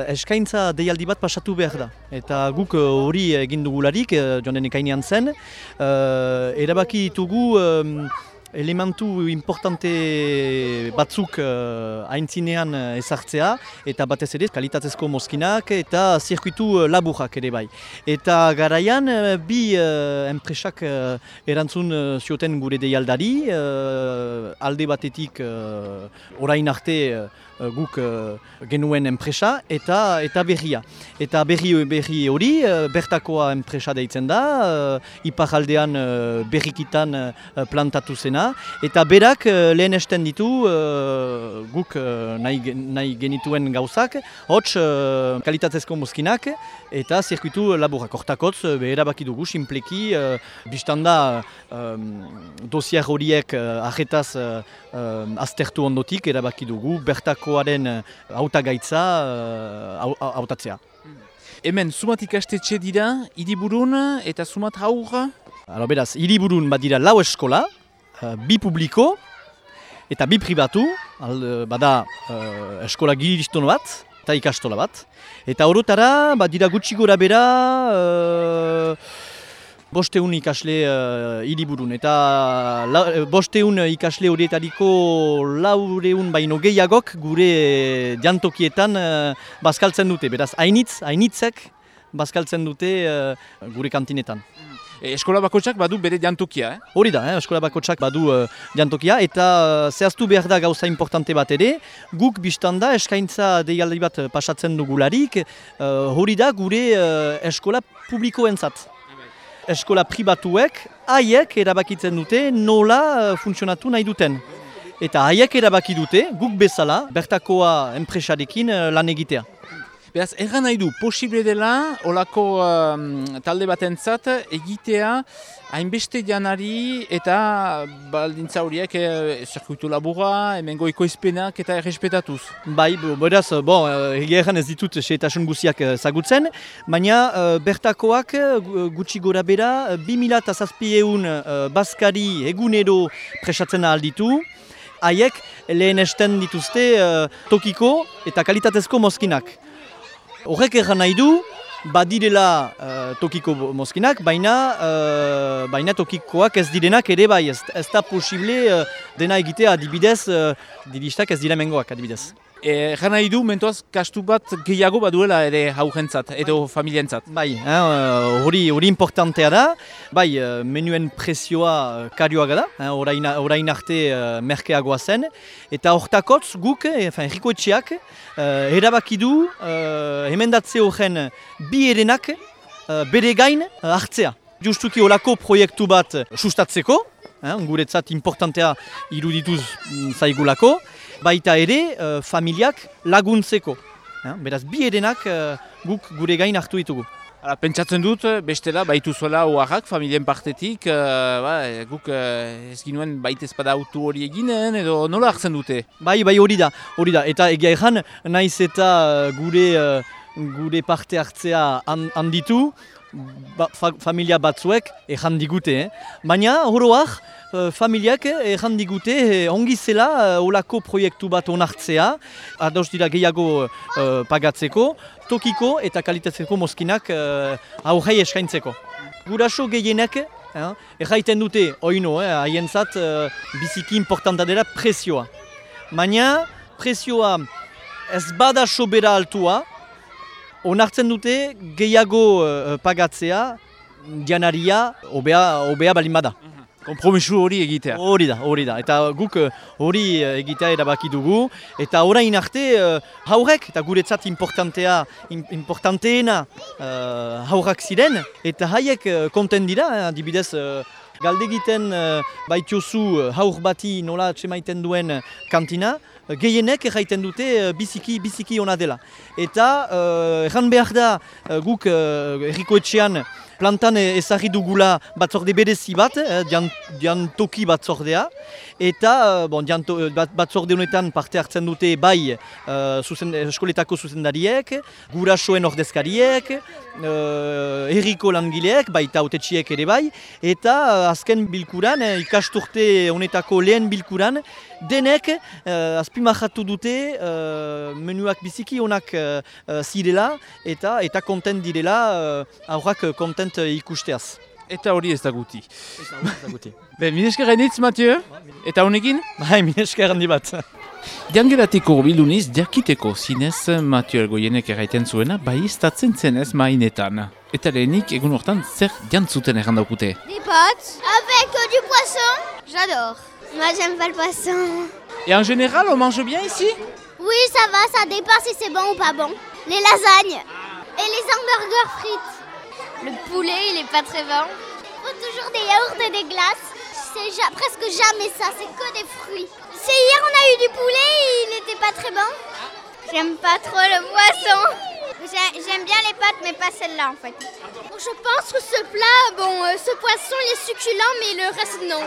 eskaintza deialdi bat pasatu behar da. Eta guk hori egin dugularik, joan den ekainean zen, erabaki ditugu elementu importante batzuk aintzinean ezartzea, eta batez ere kalitatezko mozkinak eta zirkuitu laburrak ere bai. Eta garaian bi enpresak erantzun zioten gure deialdari, alde batetik orain arte guk genuen enpresa eta berria. Eta berri hori bertakoa enpresa deitzen da, iparaldean berrikitan plantatu zena, eta berak lehenesten ditu guk nahi genituen gauzak, hots kalitatezko mozkinak eta zirkuitu laburrak. Hortakotz erabaki dugu sinpleki, biztanda dosier horiek ajetaz aztertu ondotik erabaki dugu bertakoaren hautagaitza hautatzea. Hemen, Zumat ikastetxe dira, Hiriburun eta Zumat haur? Beraz, Hiriburun badira 4 eskola, 2 publiko eta 2 pribatu, bada eskola giriston bat eta ikastola bat. Eta orotara badira gutxi gora bera 500 ikasle Hiriburun. Eta 500 ikasle horietariko 400 baino gehiagok gure jantokietan bazkaltzen dute. Beraz, hainitzek bazkaltzen dute gure kantinetan. Eskola bakotsak badu bere jantokia, Hori da, eskola bakotsak badu jantokia, eta zehaztu behar da gauza importante bat ere, guk biztanda eskaintza deialdi bat pasatzen dugularik, hori da gure eskola publikoentzat. Eskola pribatuek haiek erabakitzen dute nola funtzionatu nahi duten. Eta haiek erabaki dute, guk bezala, bertakoa enpresarekin lan egitea. Beraz, erran nahi du, posible dela, olako talde batentzat egitea hainbeste janari eta baldintza horiek zirkuitu laburra, hemen goiko izpenak eta errespetatuz. Bai, beraz, egia erran ez ditut xehetasun guziak zagutzen, baina bertakoak gutxi gora bera 2700 bazkari egunero presatzen alditu, haiek lehenesten dituzte tokiko eta kalitatezko mozkinak. Horrek erran nahi du, badirela tokiko mozkinak, baina tokikoak ez direnak ere bai, ez da posible dena egitea adibidez, diristak ez dira mengoak adibidez. Erran nahi du, mentoaz, kastu bat gehiago baduela ere haujentzat, edo familientzat. Bai, hori importantea da, bai, menuen prezioa karioaga da, orain arte merkeagoa zen, eta hortakotz guk, errikoetxeak, erabaki du emendatze horren bi erenak bere gain hartzea. Justuki olako proiektu bat sustatzeko, guretzat importantea irudituz zaigulako, baita ere familiak laguntzeko. Beraz, bi erenak guk gure gain hartu ditugu. Pentsatzen dut, bestela, baitu zuela oaxak, familien partetik, guk ez ginuen baita ezpada autu hori eginen, edo nola hartzen dute? Bai, hori da. Eta egia erran, naiz eta gure parte hartzea handitu, familia batzuek erran digute. Baina, horoak, familiak erran digute ongi zela olako proiektu bat onartzea, ados dira gehiago pagatzeko, tokiko eta kalitatzeko mozkinak aurrei eskaintzeko. Guraso gehienek erraiten dute, oino, haientzat biziki importanta dela prezioa. Baina prezioa ez bada sobera altua, onartzen dute gehiago pagatzea janaria obea balin bada. Kompromisu hori egitea. Hori da. Eta guk hori egitea erabaki dugu. Eta orain arte haurek, eta guretzat importanteena haurrak ziren, eta haiek konten dira, adibidez, galdegiten baitiozu haur bati nola txemaiten duen kantina, gehienek erraiten dute biziki ona dela. Eta erran behar da guk errikoetxean plantan ezarri dugula batzorde berezi bat, diantoki batzordea, eta batzorde honetan parte hartzen dute bai eskoletako zuzendariek, gurasoen ordezkariek, herriko langileek, baita hautetsiek ere bai, eta azken bilkuran, ikasturte honetako lehen bilkuran, denek azpimahatu dute menuak biziki onak zirela eta kontent direla aurrak kontent ikusteaz. Eta hori ez da guti. Mil esker gainitz, Mathieu? Eta honekin? Bai, mil esker handi bat. Diangelatiko bilduniz, jakiteko zinez Mathieu Elgoienek erraiten zuena, bai iztatzen zenez mainetan. Eta lehenik, egun hortan, zer jantzuten errandaukute? Des pâtes avec du poisson. J'adore. Moi, j'aime pas le poisson. Et en général, on mange bien ici? Oui, ça va, ça dépend si c'est bon ou pas bon. Les lasagnes et les hamburgers frites. Le poulet, il est pas très bon. Faut toujours des yaourts et des glaces. C'est presque jamais ça, c'est que des fruits. C'est hier, on a eu du poulet et il n'était pas très bon. J'aime pas trop le poisson. J'aime bien les pâtes, mais pas celle-là en fait. Je pense que ce plat, ce poisson, il est succulent, mais le reste non.